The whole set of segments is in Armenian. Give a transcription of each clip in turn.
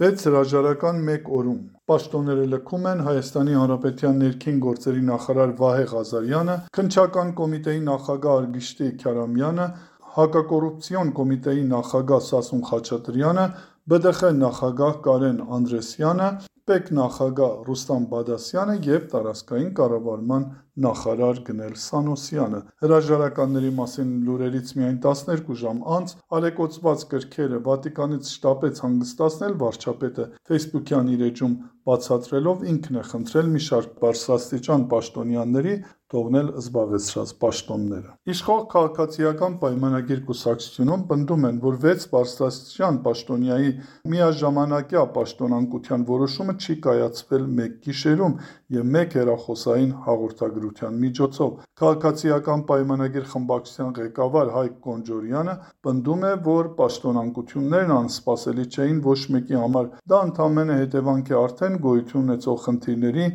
6 հրաժարական 1 օրում պաշտոնները լքում են Հայաստանի Հանրապետության ներքին գործերի նախարար Վահե Ղազարյանը, Քննչական կոմիտեի նախագահ Արգիշտի Քարամյանը, Հակակոռուպցիոն կոմիտեի նախագահ Սասուն Խաչատրյանը, ԲԴԽ նախագահ Կարեն Անդրեսյանը, ՊԵԿ նախագահ Ռուստամ Բադասյանը և տարածքային կառավարման նախարար Գնել Սանոսյանը։ Հրաժարականների մասին լուրերից միայն 12 ժամ անց ալեկոծված կրքերը Վատիկանից շտապեց հանգստացնել վարչապետը Facebook-յան իր էջում բացատրելով ինքն է խնդրել մի շարք բարձրաստիճան պաշտոնյաների թողնել զբաղեցրած պաշտոնները։ Իշխող քաղաքացիական պայմանագիր կուսակցությունում պնդում են, որ 6 բարձրաստիճան պաշտոնյայի միաժամանակյա պաշտոնանկության որոշումը չի կայացվել մեկ գիշերում և մեկ հեռախոսային հաղորդագրության միջոցով։ Քաղաքացիական պայմանագիր խմբակցության ղեկավար Հայկ Կոնջորյանը պնդում է, որ պաշտոնանկություններն անսպասելի չէին ոչ մեկի համար, դա ընդամենը հետևանք է արդեն գոյություն ունեցող խնդիրների,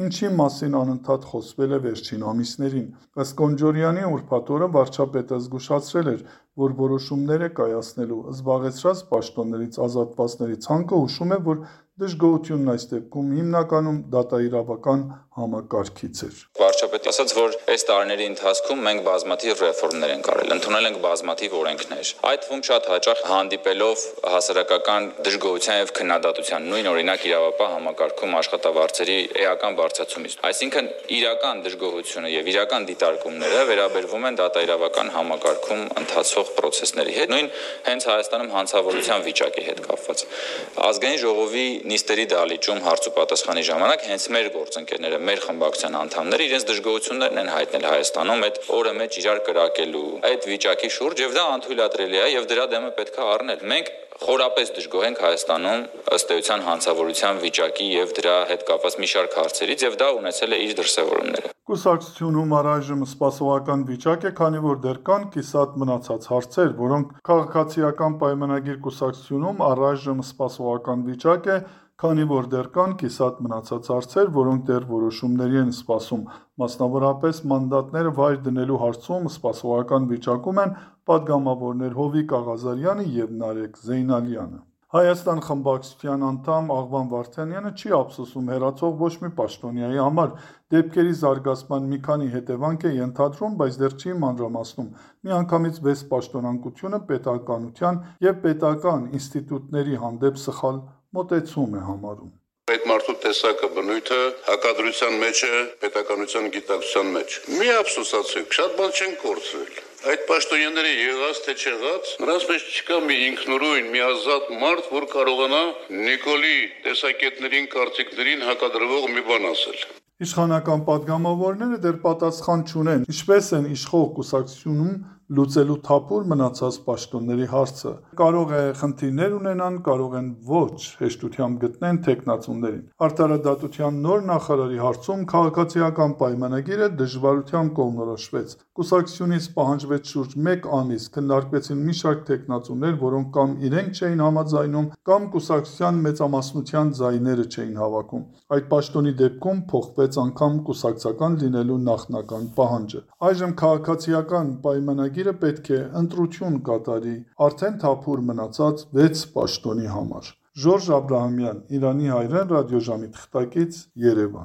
ինչի մասին անընդհատ խոսվել է վերջին ամիսներին։ Ըստ Կոնջորյանի ուրբաթ օրը վարչապետը զգուշացրել էր, որ որոշումներ է կայացնելու զբաղեցրած պաշտոններից ազատվածների ցանկը հուշում է, որ դժգոհությունն այս դեպքում հիմնականում դատաիրավական համակարգից էր։ Վարչապետը ասաց, որ այս տարիների ընթացքում մենք բազմաթիվ ռեֆորմներ ենք արել, ընդունել ենք բազմաթիվ օրենքներ, այդ թվում շատ հաճախ հանդիպելով հասարակական դժգոհության եւ քննադատության, նույն օրինակ իրավապահ համակարգում աշխատավարձերի էական բարձրացումից։ Այսինքն իրական դժգոհությունը եւ իրական դիտարկումները վերաբերվում են դատաիրավական համակարգում ընթացող process-ների հետ, նույն հենց Հայաստանում հանցավորության վիճակի հետ կապված։ Ազգային ժողովի նիստերի դահլիճում հարց ու պատասխանի ժամանակ հենց մեր գործընկերները, մեր խմբակցության անդամները իրենց դժգոհություններն են հայտնել Հայաստանում այդ օրը մեջ իրար կրակելու այդ վիճակի շուրջ եւ դա անթույլատրելի է եւ դրա դեմը պետք է առնել։ Մենք խորապես դժգոհ ենք Հայաստանում ըստ էության հանցավորության վիճակի եւ դրա հետ կապված մի շարք հարցերից եւ դա ունեցել է իր դրսեւորումները։ Կուսակցությունում առայժմ սպասողական վիճակ է, քանի որ դեռ կան կիսատ մնացած հարցեր, որոնք քաղաքացիական պայմանագիր կուսակցությունում առայժմ սպասողական վիճակ է, քանի որ դեռ կան կիսատ մնացած հարցեր, որոնք դեռ որոշումների են սպասում, մասնավորապես մանդատները վայր դնելու հարցում սպասողական վիճակում են պատգամավորներ Հովիկ Աղազարյանը և Նարեկ Զեյնալյանը։ Հայաստան խմբակցության անդամ Աղվան Վարդանյանը չի ափսոսում հեռացող ոչ մի պաշտոնյայի համար, դեպքերի զարգացման մի քանի հետևանք է ենթադրում, բայց դեռ չի մանրամասնում։ Միանգամից 6 պաշտոնանկությունը պետականության և պետական ինստիտուտների հանդեպ սխալ մոտեցում է համարում։ Այդ մարդու տեսակը բնույթը հակադրության մեջ է պետականության գիտակցության մեջ։ Մի ափսոսացեք, շատ բան չեն կորցրել։ Այդ պաշտոնյաները եղած թե չեղած, նրանց մեջ չկա մի ինքնուրույն, մի ազատ մարդ, որ կարողանա Նիկոլի տեսակետներին, կարծիքներին հակադրվող մի բան ասել։ Իշխանական պատգամավորները դեռ պատասխան չունեն, ինչպես են իշխող կուսակցությունում լուծելու թափուր մնացած պաշտոնների հարցը։ Կարող է խնդիրներ ունենան, կարող են ոչ հեշտությամբ գտնեն թեկնածուներին։ Արդարադատության նոր նախարարի հարցում քաղաքացիական պայմանագիրը դժվարությամբ կողմնորոշվեց։ Կուսակցությունից պահանջվեց շուրջ 1 ամիս, քննարկվեցին մի շարք թեկնածուներ, որոնք կամ իրենք չէին համաձայնում, կամ կուսակցության մեծամասնության ձայները չէին հավաքում։ Այդ պաշտոնի դեպքում փոխվեց անգամ կուսակցական լինելու նախնական պահանջը։ Այժմ քաղաքացիական պայմանագիրը պետք է ընտրություն կատարի արդեն թափուր մնացած 6 պաշտոնի համար։ Ժորժ Աբրահամյան, Իրանի հայրեն, ռադիոժամի թղթակից, Երևան։